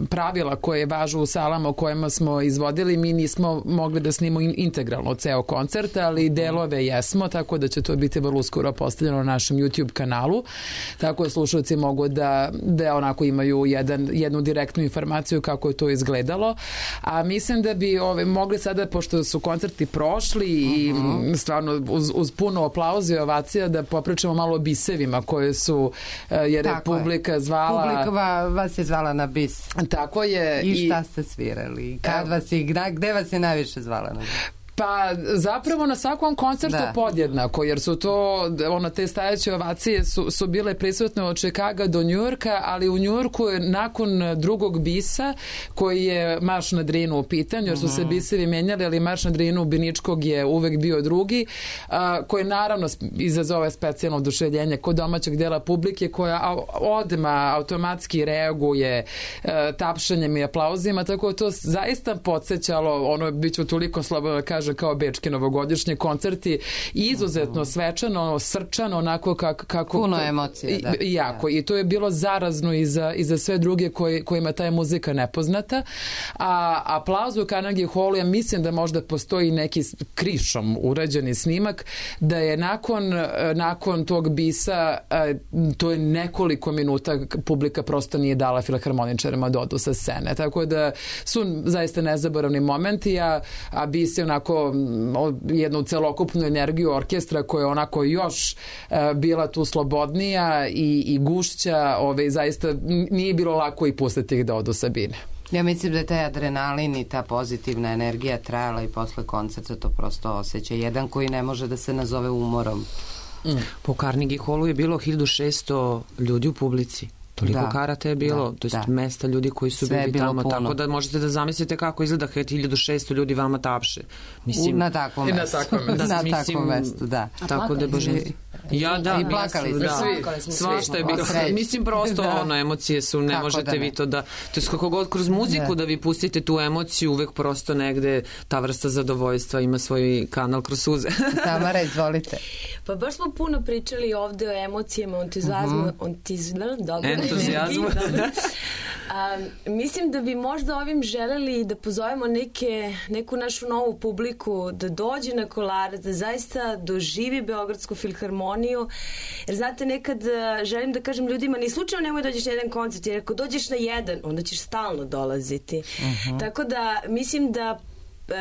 pravila koje važu u salama u kojima smo izvodili, mi nismo mogli da snimo in, integralno ceo koncert, ali delove jesmo, tako da će to biti vrlo uskoro postavljeno na našem YouTube kanalu, tako da slušalci mogu da, da onako imaju jedan, jednu direktnu informaciju kako je to izgledalo, a mislim da bi ove, mogli sada, pošto su koncerti prošli i Uh-huh. stvarno uz, uz puno aplauza i ovacija, da popričamo malo o bisevima koje su jer je Tako publika je. zvala... Publika va, vas je zvala na bis. Tako je. I šta ste svirali? Kad Evo. vas je, gde, gde vas je najviše zvala na bis? Pa zapravo na svakom koncertu Da. podjednako, jer su to, ono, te stajeće ovacije su, su bile prisutne od Čikaga do Njujorka, ali u Njujorku je nakon drugog bisa, koji je Marš na Drinu u pitanju, jer su se bisevi menjali, ali Marš na Drinu Biničkog je uvek bio drugi, a, koji naravno izazove specijalno oduševljenje kod domaćeg dela publike, koja a, odma automatski reaguje a, tapšanjem i aplauzima, tako da to zaista podsjećalo, ono, bit ću toliko slobodno da kažem, kao bečki novogodišnji koncerti, izuzetno svečano, srčano, onako kako... kako Puno emocije, da. I, jako. I to je bilo zarazno i za, i za sve druge koji, kojima ta je muzika nepoznata. A aplauz u Carnegie Hallu, ja mislim da možda postoji neki krišom urađeni snimak, da je nakon, nakon tog bisa, to je nekoliko minuta publika prosto nije dala filharmoničarima da odu sa scene. Tako da su zaista nezaboravni momenti, a, a bis je onako jednu celokupnu energiju orkestra koja je onako još uh, bila tu slobodnija i, i gušća, ove, zaista nije bilo lako i pustiti ih da odu sa bine. Ja mislim da je taj adrenalin i ta pozitivna energija trajala i posle koncerta, to prosto osjeća. Jedan koji ne može da se nazove umorom. Mm. Po Carnegie Hallu je bilo hiljadu šesto ljudi u publici. Toliko Da, karata je bilo, da, to jest da. mesta ljudi koji su Sve je bili bilo tamo, puno. tako da možete da zamislite kako izgleda kad hiljadu šesto ljudi vama tapše. Mislim, U, na takvom I na mestu. takvom mestu. Na Mislim, takvom mestu, da. Tako da je božanstvo. Ja da, I plakali ja, ste. da. Plakali smo Svašta svi. je bilo. Od sreće. Mislim prosto Da. ono, emocije su, ne Kako možete da ne. vi to da, to je kako god kroz muziku da. Da. vi pustite tu emociju, uvek prosto negde ta vrsta zadovoljstva ima svoj kanal kroz suze. Tamara, izvolite. Pa baš smo puno pričali ovde o emocijama, entuzijazmu, Mhm. entuzijazmu, dobro. Entuzijazmu. Dobro. A, mislim da bi možda ovim želeli da pozovemo neke, neku našu novu publiku da dođe na Kolarac, da zaista doživi Beogradsku filharmoniju, jer znate, nekad a, želim da kažem ljudima, ni slučajno nemoj dođeš na jedan koncert, jer ako dođeš na jedan, onda ćeš stalno dolaziti. Mhm. Tako da mislim da e,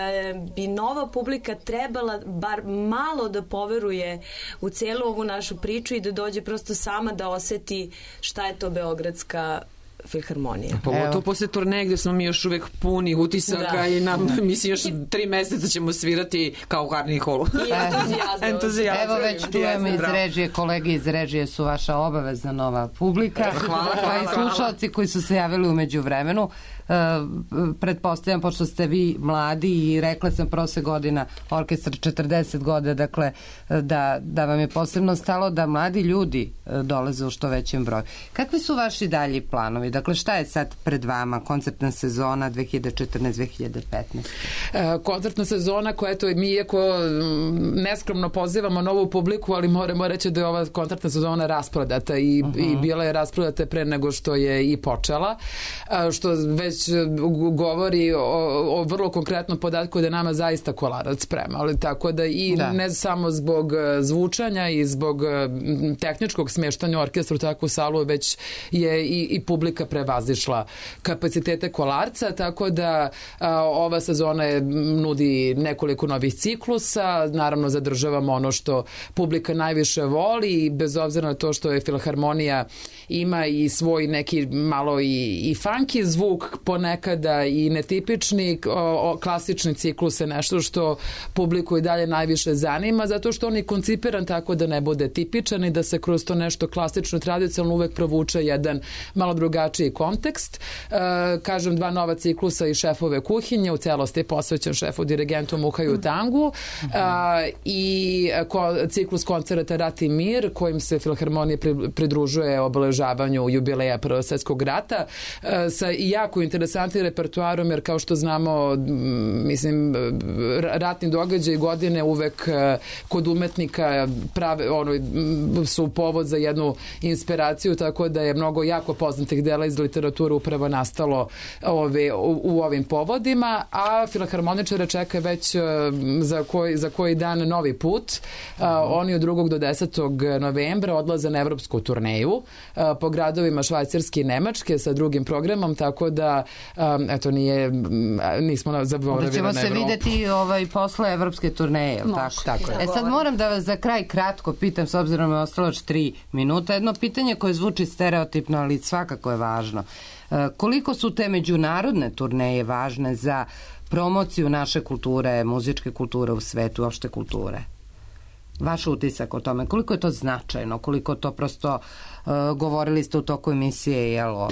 bi nova publika trebala bar malo da poveruje u celu ovu našu priču i da dođe prosto sama da oseti šta je to Beogradska filharmonija. Pogotovo posle turneje gde smo mi još uvek puni utisaka Da. i nam, mislim, još tri meseca ćemo svirati kao u Carnegie Hallu. I entuzijazam. Entuzijazam. Evo već čujemo iz režije, kolege iz režije su vaša obavezna nova publika. Hvala, Pa hvala, i slušalci koji su se javili umeđu vremenu. Uh, pretpostavljam, pošto ste vi mladi i rekla sam prošle godina orkestar četrdeset godina, dakle da, da vam je posebno stalo da mladi ljudi uh, dolaze u što većem broju. Kakvi su vaši dalji planovi? Dakle, šta je sad pred vama? Koncertna sezona dve hiljade četrnaeste dve hiljade petnaeste. E, koncertna sezona koja, eto, mi iako mm, neskromno pozivamo novu publiku, ali moramo reći da je ova koncertna sezona rasprodata i, Uh-huh. i bila je rasprodata pre nego što je i počela, a, što već govori o, o vrlo konkretnom podatku da je nama zaista Kolarac sprema, ali tako da i Da. ne samo zbog zvučanja i zbog tehničkog smeštanja orkestra u takvu salu već je i, i publika prevazišla kapacitete Kolarca, tako da a, ova sezona je, nudi nekoliko novih ciklusa, naravno zadržavamo ono što publika najviše voli i bez obzira na to što je Filharmonija ima i svoj neki malo i, i funky zvuk ponekada i netipični, o, o, klasični ciklus je nešto što publiku i dalje najviše zanima, zato što on je koncipiran tako da ne bude tipičan i da se kroz to nešto klasično, tradicionalno uvek provuče jedan malo drugačiji kontekst. E, kažem, dva nova ciklusa i Šefove kuhinje, u celosti je posvećen šefu dirigentu Muhaju Tangu e, i ko, ciklus koncerata Rat i mir, kojim se Filharmonija pridružuje obeležavanju jubileja Prvog svjetskog rata, e, sa jako interesantnim repertuarom, jer kao što znamo, mislim, ratni događaj godine uvek kod umetnika prave, ono, su povod za jednu inspiraciju, tako da je mnogo jako poznatih dela iz literature upravo nastalo ove, u, u ovim povodima, a filharmoničare čeka već za koji, za koji dan novi put. A, oni od drugog do desetog novembra odlaze na evropsku turneju a, po gradovima Švajcarske i Nemačke sa drugim programom, tako da a, eto, nije, nismo zaboravili na Evropu. Da ćemo se videti ovaj, posle evropske turneje, tako? Tako je. E sad moram da vas za kraj kratko pitam, s obzirom je ostalo još tri minuta, jedno pitanje koje zvuči stereotipno, ali svakako je važno. E, koliko su te međunarodne turneje važne za promociju naše kulture, muzičke kulture u svetu, opšte kulture? Vaš utisak o tome, koliko je to značajno, koliko to prosto, uh, govorili ste u toku emisije, jel, o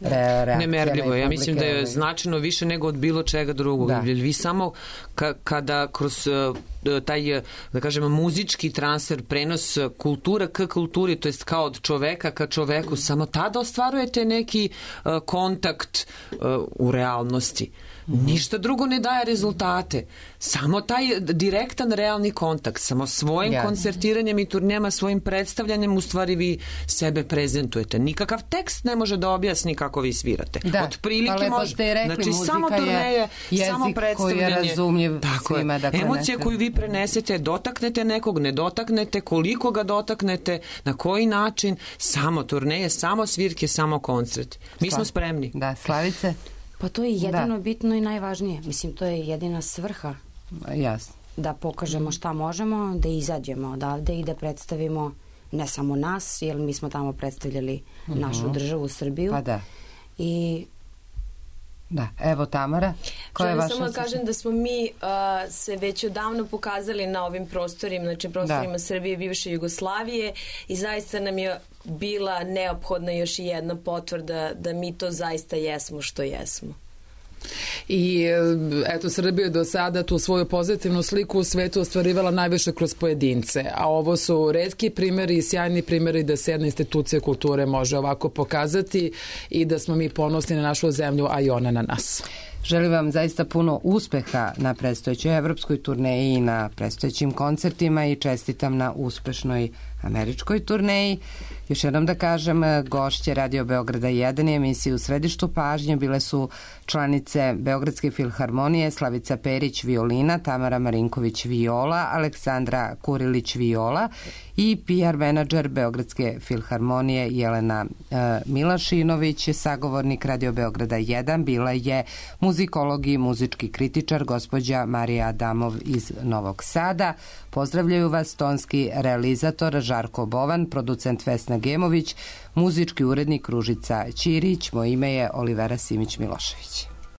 re, nemerljivo. Ja mislim da je značajno više nego od bilo čega drugog. Da. Vi samo ka, kada kroz uh, taj, da kažemo, muzički transfer, prenos kultura k kulturi, to jest kao od čoveka ka čoveku, samo tada ostvarujete neki uh, kontakt uh, u realnosti. Ništa drugo ne daje rezultate. Samo taj direktan realni kontakt, samo svojim ja. koncertiranjem i turnijama, svojim predstavljanjem u stvari vi sebe prezentujete. Nikakav tekst ne može da objasni kako vi svirate. Da, od prilike pa može. Rekli, znači samo turneje, samo predstavljanje. Jezik koji je razumljiv svima. Dakle, emocija nekada. koju vi prenesete, dotaknete nekog, ne dotaknete, koliko ga dotaknete, na koji način, samo turneje, samo svirke, samo koncert. Mi Sla. smo spremni. Da, Slavice? Pa to je jedino da. bitno i najvažnije. Mislim, to je jedina svrha. Jasno. Da pokažemo šta možemo, da izađemo odavde i da predstavimo ne samo nas, jer mi smo tamo predstavljali uh -huh. našu državu, Srbiju. Pa da. I da, evo Tamara, koja je vaša samo da kažem da smo mi uh, se već odavno pokazali na ovim prostorima, znači prostorima da. Srbije, bivše Jugoslavije, i zaista nam je bila neophodna još i jedna potvrda da mi to zaista jesmo što jesmo. I eto, Srbija je do sada tu svoju pozitivnu sliku u svetu ostvarivala najviše kroz pojedince, a ovo su retki primjeri i sjajni primjeri da se jedna institucija kulture može ovako pokazati i da smo mi ponosni na našu zemlju, a i ona na nas. Želim vam zaista puno uspeha na predstojećoj evropskoj turneji i na predstojećim koncertima i čestitam na uspešnoj američkoj turneji. Još jednom da kažem, gošće Radio Beograda jedan i emisije U središtu pažnje bile su članice Beogradske filharmonije Slavica Perić violina, Tamara Marinković viola, Aleksandra Kurilić viola i P R menadžer Beogradske filharmonije Jelena e, Milašinović. Sagovornik Radio Beograda jedan bila je muzikolog i muzički kritičar gospođa Marija Adamov iz Novog Sada. Pozdravljaju vas tonski realizator Žarko Bovan, producent Vesna Gemović, muzički urednik Ružica Ćirić. Moje ime je Olivera Simić Milošević.